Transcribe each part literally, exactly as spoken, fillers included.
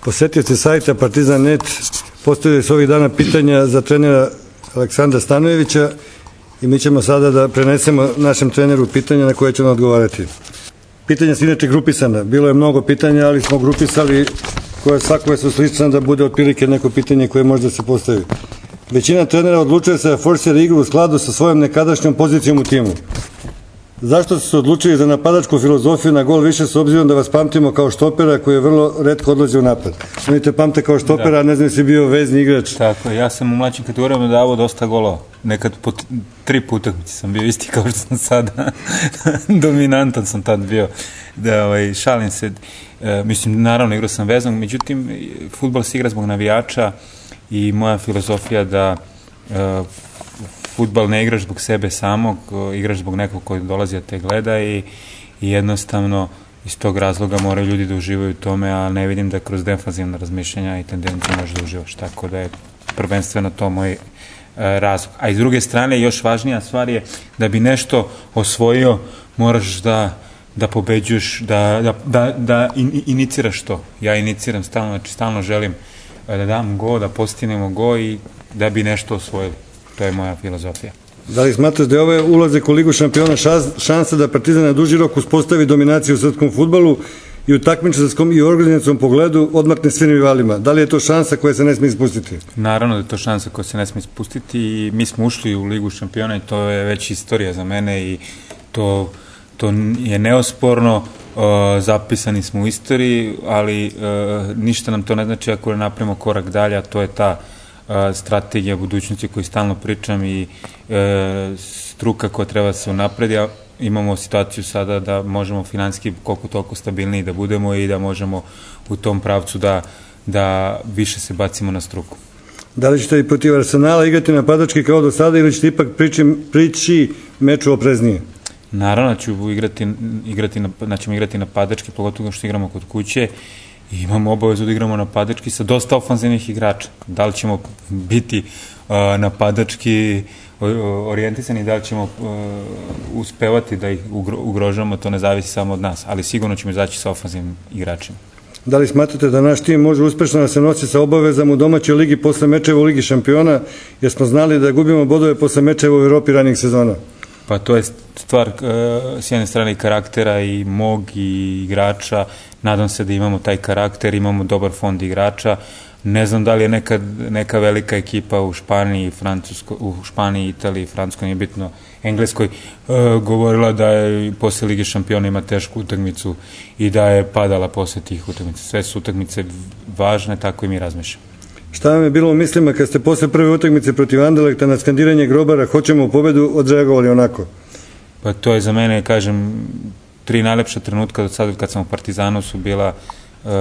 Posetioci sajta Partizan net postavili su ovih dana pitanja za trenera Aleksandra Stanojevića i mi ćemo sada da prenesemo našem treneru pitanja na koje ćemo odgovarati. Pitanja su inače grupisana. Bilo je mnogo pitanja, ali smo grupisali koje svakove su slične da bude otprilike neko pitanje koje možda se postavi. Većina trenera odlučuje se da forsira igru u skladu sa svojom nekadašnjom pozicijom u timu. Zašto su se odlučili za napadačku filozofiju na gol više s obzirom da vas pamtimo kao štopera koji je vrlo retko odlazi u napad? Oni te pamte kao štopera, da. A ne znam si bio vezni igrač. Tako, ja sam u mlađim kategorijama davao dosta golova. Nekad po tri puta sam bio isti kao što sam sada. Dominantan sam tad bio. Da, ovaj, šalim se. E, mislim, naravno igrao sam veznog, međutim, fudbal se igra zbog navijača i moja filozofija da e, fudbal ne igraš zbog sebe samog, igraš zbog nekog koji dolazi da te gleda i, i jednostavno iz tog razloga moraju ljudi da uživaju u tome, a ne vidim da kroz defanzivna razmišljanja i tendencije možeš da uživaš, tako da je prvenstveno to moj e, razlog. A iz druge strane, još važnija stvar je da bi nešto osvojio, moraš da, da pobeđuješ, da, da, da, da in, iniciraš to. Ja iniciram stalno, znači stalno želim da dam go, da postignemo go i da bi nešto osvojili. To je moja filozofija. Da li smatraš da je ovaj ulazak u Ligu šampiona šansa da Partizan na duži rok uspostavi dominaciju u srpskom fudbalu i u takmičarskom i organizacijskom pogledu odmakne svim rivalima? Da li je to šansa koja se ne smije ispustiti? Naravno da je to šansa koja se ne smije ispustiti i mi smo ušli u Ligu šampiona i to je već istorija za mene i to, to je neosporno. Uh, zapisani smo u istoriji, ali uh, ništa nam to ne znači ako ne napravimo korak dalje, a to je ta strategija budućnosti koju stalno pričam i e, struka koja treba da se unapredi, a imamo situaciju sada da možemo finansijski koliko toliko stabilniji da budemo i da možemo u tom pravcu da, da više se bacimo na struku. Da li ćete i protiv Arsenala igrati napadački kao do sada ili ćete ipak priči, priči meču opreznije? Naravno ću igrati, igrati, da ćemo igrati napadački, pogotovo što igramo kod kuće. I imamo obavezu da igramo napadački sa dosta ofanzivnih igrača. Da li ćemo biti uh, napadački orijentisani, da li ćemo uh, uspevati da ih ugro, ugrožamo, to ne zavisi samo od nas, ali sigurno ćemo izaći sa ofanzivnim igračima. Da li smatrate da naš tim može uspešno da se nosi sa obavezama u domaćoj ligi posle mečeva u Ligi šampiona, jer smo znali da gubimo bodove posle mečeva u Evropi ranijih sezona? Pa to je stvar uh, s jedne strane i karaktera i mog i igrača. Nadam se da imamo taj karakter, imamo dobar fond igrača. Ne znam da li je neka, neka velika ekipa u Španiji, Francusko, u Španiji, Italiji, Francuskoj, nije bitno, Engleskoj, uh, govorila da je posle Lige šampiona ima tešku utakmicu i da je padala posle tih utakmica. Sve su utakmice važne, tako i mi razmišljamo. Šta vam je bilo u mislima kad ste posle prve utakmice protiv Anderlekta na skandiranje Grobara hoćemo u pobedu odreagovali onako? Pa to je za mene, kažem, tri najlepša trenutka do sada kad sam u Partizanu su bila uh,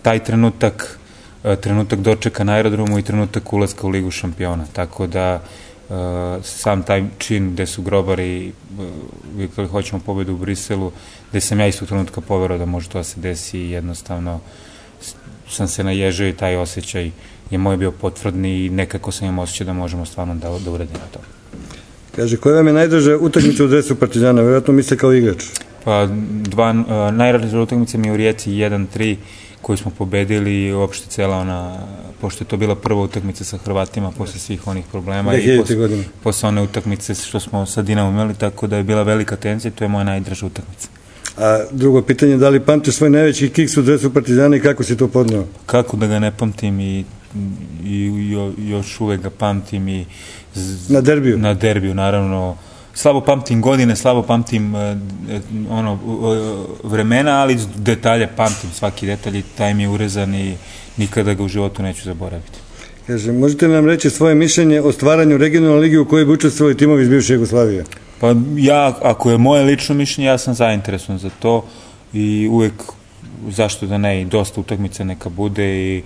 taj trenutak, uh, trenutak dočeka na aerodromu i trenutak ulaska u Ligu šampiona. Tako da uh, sam taj čin gde su Grobari uh, kada hoćemo pobedu u Briselu, gde sam ja istog trenutka poverao da može to da se desi i jednostavno sam se naježio i taj osjećaj je moj bio potvrdni i nekako sam imao osjećaj da možemo stvarno da, da uradimo to. Kaže, koja vam je najdraža utakmica u dresu Partizana? Vjerojatno misle kao igrač. Pa dva, uh, najdraža utakmica mi je u Rijeci jedan tri koju smo pobedili i uopšte cela ona, pošto je to bila prva utakmica sa Hrvatima posle svih onih problema i posle, posle one utakmice što smo sa Dinamom imali, tako da je bila velika tenzija i to je moja najdraža utakmica. A drugo pitanje, da li pamtiš svoj najveći kiks u dresu Partizana i kako si to podneo? Kako da ga ne pamtim i, i jo, još uvek ga pamtim i na derbiju? Na derbiju, naravno. Slabo pamtim godine, slabo pamtim uh, ono, uh, vremena, ali detalje pamtim, svaki detalj i taj mi je urezan i nikada ga u životu neću zaboraviti. Kaže, možete li nam reći svoje mišljenje o stvaranju regionalne lige u kojoj bi učestvovali timovi iz bivše Jugoslavije? Pa ja, ako je moje lično mišljenje, ja sam zainteresovan za to i uvek, zašto da ne, i dosta utakmica neka bude i,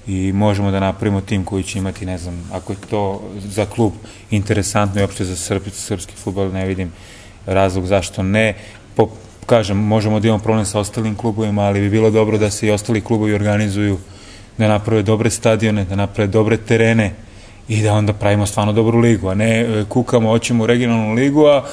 i možemo da napravimo tim koji će imati, ne znam, ako je to za klub interesantno i uopšte za srp, srpski fudbal, ne vidim razlog zašto ne. Po, kažem, možemo da imamo problem sa ostalim klubovima, ali bi bilo dobro da se i ostali klubovi organizuju, da naprave dobre stadione, da naprave dobre terene i da onda pravimo stvarno dobru ligu, a ne kukamo, hoćemo u regionalnu ligu, a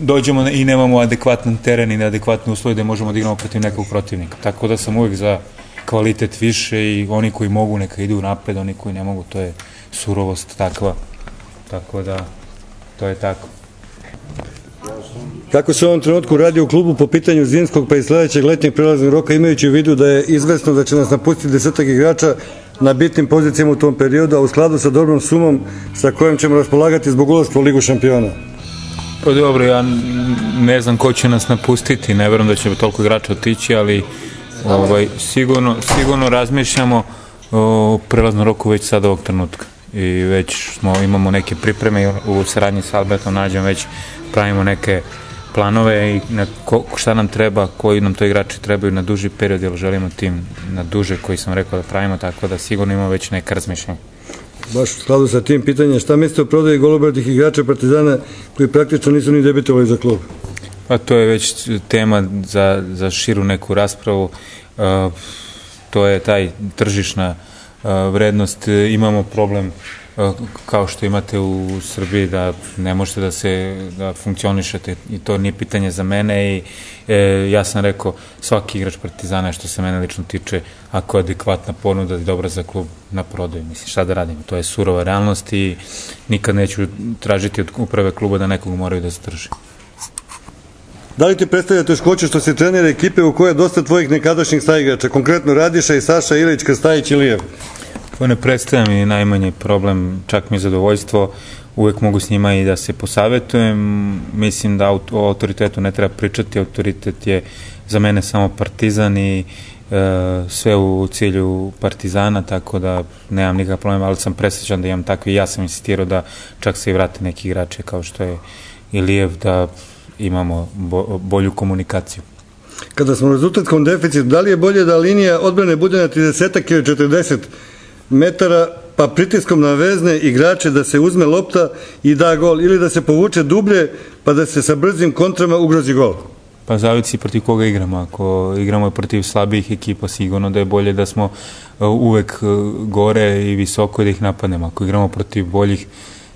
dođemo i nemamo adekvatan teren i neadekvatne uslove da možemo da igramo protiv nekog protivnika. Tako da sam uvijek za kvalitet više i oni koji mogu neka idu napred, oni koji ne mogu, to je surovost takva. Tako da, to je tako. Kako se u ovom trenutku radi u klubu po pitanju zimskog pa i sledećeg letnjeg prelaznog roka, imajući u vidu da je izvesno da će nas napustiti desetak igrača na bitnim pozicijama u tom periodu, a u skladu sa dobrom sumom sa kojom ćemo raspolagati zbog ulaska u Ligu šampiona? Pa dobro, ja ne znam ko će nas napustiti, ne verujem da će toliko igrača otići, ali ovaj, sigurno, sigurno razmišljamo o prelaznom roku već sad ovog trenutka. I već smo, imamo neke pripreme u saradnji sa Albertom Nađem, već pravimo neke planove i na ko, šta nam treba, koji nam to igrači trebaju na duži period, jer želimo tim na duže koji sam rekao da pravimo, tako da sigurno imamo već neka razmišljenja. Baš u skladu sa tim pitanjem, šta mislite o prodaji golobratih igrača Partizana koji praktično nisu ni debitovali za klub? Pa to je već tema za, za širu neku raspravu. Uh, to je taj tržišna uh, vrednost. Imamo problem uh, kao što imate u Srbiji da ne možete da se da funkcionišete i to nije pitanje za mene i e, ja sam rekao svaki igrač Partizana što se mene lično tiče, ako je adekvatna ponuda i dobra za klub, na prodaju. Mislim, šta da radimo? To je surova realnost i nikad neću tražiti od uprave kluba da nekog moraju da zadrži. Da li ti predstavlja teškoće što si trener ekipe u kojoj je dosta tvojih nekadašnjih saigrača, konkretno Radiša i Saša Ilić, Krstajić i Lijev? To ne predstavlja mi najmanji problem, čak mi je zadovoljstvo, uvek mogu s njima i da se posavetujem. Mislim da o autoritetu ne treba pričati, autoritet je za mene samo Partizan i e, sve u cilju Partizana, tako da nemam nikakav problem, ali sam presrećan da imam takvi. Ja sam insistirao da čak se i vrate neki igrače kao što je Ilijev, da imamo bo, bolju komunikaciju. Kada smo u rezultatskom deficitu, da li je bolje da linija odbrane bude na trideset ili četrdeset metara, pa pritiskom na vezne igrače da se uzme lopta i da gol, ili da se povuče dublje, pa da se sa brzim kontrama ugrozi gol? Pa zavisi protiv koga igramo. Ako igramo protiv slabijih ekipa, sigurno da je bolje da smo uvek gore i visoko i da ih napadnemo. Ako igramo protiv boljih,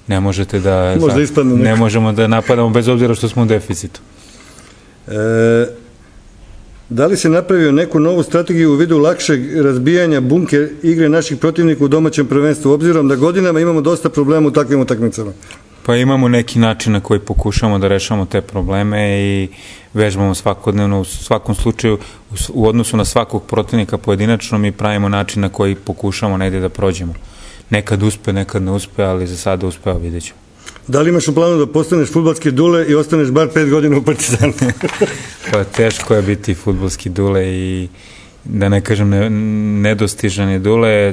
ne možete da... Možda ne možemo da napadamo bez obzira što smo u deficitu. E, da li se napravio neku novu strategiju u vidu lakšeg razbijanja bunker igre naših protivnika u domaćem prvenstvu, obzirom da godinama imamo dosta problema u takvim utakmicama? Pa imamo neki način na koji pokušamo da rešamo te probleme i vežbamo svakodnevno, u svakom slučaju u odnosu na svakog protivnika pojedinačno mi pravimo način na koji pokušamo negde da prođemo. Nekad uspe, nekad ne uspe, ali za sada uspeo, vidjet ću. Da li imaš u planu da postaneš fudbalski Dule i ostaneš bar pet godina u Partizanu? Pa teško je biti fudbalski Dule i da ne kažem ne, nedostižan je Dule.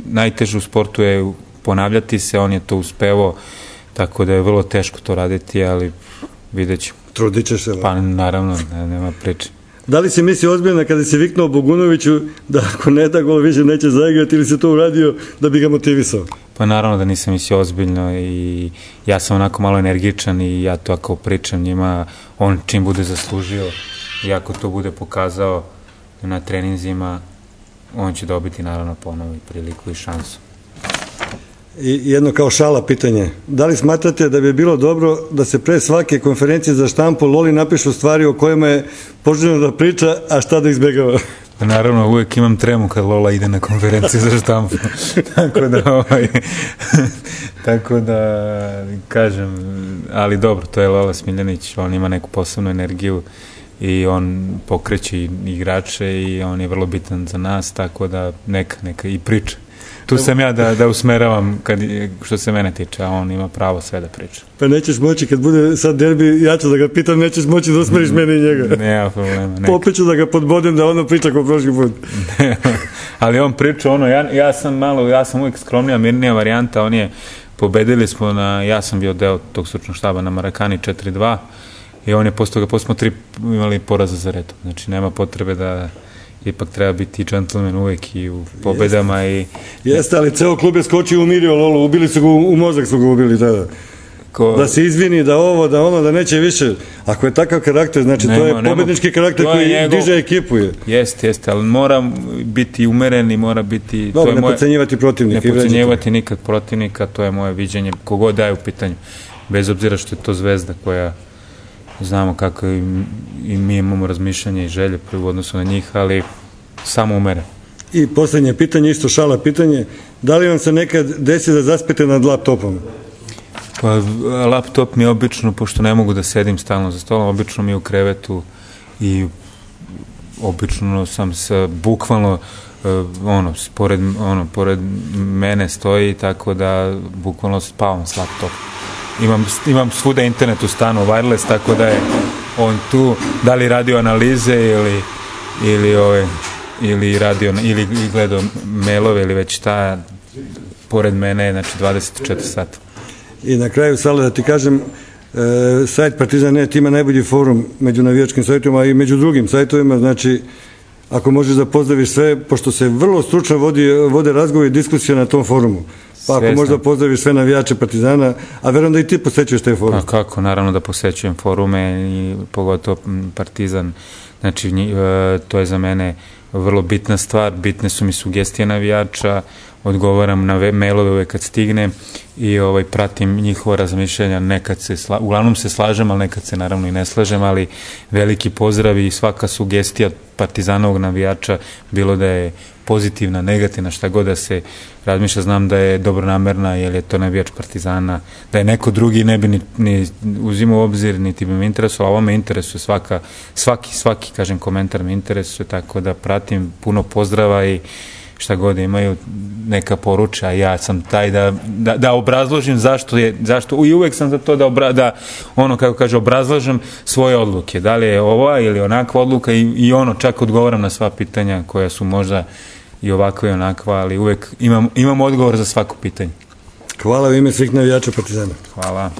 Najteže u sportu je ponavljati se, on je to uspevao, tako da je vrlo teško to raditi, ali vidjet ću. Trudit ćeš se? Pa naravno, ne, nema priče. Da li si misli ozbiljno kada si viknuo Bogunoviću da ako ne da gol više neće zaigrati ili se to uradio da bi ga motivisao? Pa naravno da nisam mislio ozbiljno i ja sam onako malo energičan i ja to ako pričam njima, on čim bude zaslužio i ako to bude pokazao na treninzima, on će dobiti naravno ponovo i priliku i šansu. I jedno kao šala pitanje. Da li smatrate da bi bilo dobro da se pre svake konferencije za štampu Loli napišu stvari o kojima je poželjno da priča, a šta da izbegava? Pa naravno, uvek imam tremu kad Lola ide na konferenciju za štampu. tako da, ovaj, tako da, kažem, ali dobro, to je Lola Smiljanić, on ima neku posebnu energiju i on pokreće igrače i on je vrlo bitan za nas, tako da neka, neka i priča. Tu sam ja da, da usmeravam kad, što se mene tiče, a on ima pravo sve da priča. Pa nećeš moći, kad bude sad derbi, ja ću da ga pitam, nećeš moći da usmeriš mene i njega. Nema problema. Popet ću da ga podbodem da ono priča kao prošli put. Ali on priča ono, ja, ja sam malo, ja sam uvijek skromnija, mirnija varijanta, on je, pobedili smo na, ja sam bio deo tog stručnog štaba na Marakani četiri dva i on je posle toga, posle smo tri imali poraza za redom. Znači nema potrebe da ipak treba biti džentlmen uvek i u pobedama. Jeste, i... Jeste, ali ceo klub je skočio i umirio Lolo, ubili su ga, u mozak su ga ubili tada. Ko... Da se izvini, da ovo, da ono, da neće više. Ako je takav karakter, znači nema, to je pobednički karakter koji njegov... diže ekipu. Je. Jeste, jeste, ali mora biti umeren i mora biti... Dobro, ne moje... podcenjivati protivnika. Ne podcenjivati nikad protivnika, to je moje viđenje, kogod daje u pitanju. Bez obzira što je to zvezda koja... Znamo kako i, i mi imamo razmišljanje i želje u odnosu na njih, ali samo umere. I poslednje pitanje, isto šala pitanje, da li vam se nekad desi da zaspete nad laptopom? Pa laptop mi je obično, pošto ne mogu da sedim stalno za stolom, obično mi je u krevetu i obično sam se bukvalno ono, pored, ono, pored mene stoji, tako da bukvalno spavam s laptop. Imam, imam svuda internet u stanu, wireless, tako da je on tu, da li radio analize ili ili ove ili radio ili gledao mailove ili već šta, pored mene je, znači, dvadeset četiri sata. I na kraju, Sale, da ti kažem, e, sajt Partizan punkt net ima najbolji forum među navijačkim sajtovima i među drugim sajtovima, znači ako možeš da pozdraviš sve, pošto se vrlo stručno vodi, vode razgovori i diskusije na tom forumu. Pa ako možeš da pozdraviš sve navijače Partizana, a verujem da i ti posećuješ taj forum. Pa kako, naravno da posećujem forume i pogotovo Partizan, znači to je za mene vrlo bitna stvar, bitne su mi sugestije navijača, odgovaram na mailove uvek kad stigne i ovaj, pratim njihova razmišljanja, nekad se, sla, uglavnom se slažem, ali nekad se naravno i ne slažem, ali veliki pozdrav i svaka sugestija Partizanovog navijača, bilo da je pozitivna, negativna, šta god da se razmišlja, znam da je dobronamerna, jer je to navijač Partizana, da je neko drugi ne bi ni, ni uzimao u obzir, niti bi me interesovalo, ovo me interesuje, svaka, svaki, svaki, kažem, komentar me interesuje, tako da pratim, puno pozdrava i šta god imaju neka poruča, ja sam taj da, da, da obrazložim zašto je, zašto, i uvek sam za to da, obra, da ono, kako kaže, obrazlažem svoje odluke, da li je ova ili onakva odluka i, i ono, čak odgovaram na sva pitanja koja su možda i ovakva i onakva, ali uvek imam, imam odgovor za svako pitanje. Hvala u ime svih navijača Partizana. Hvala.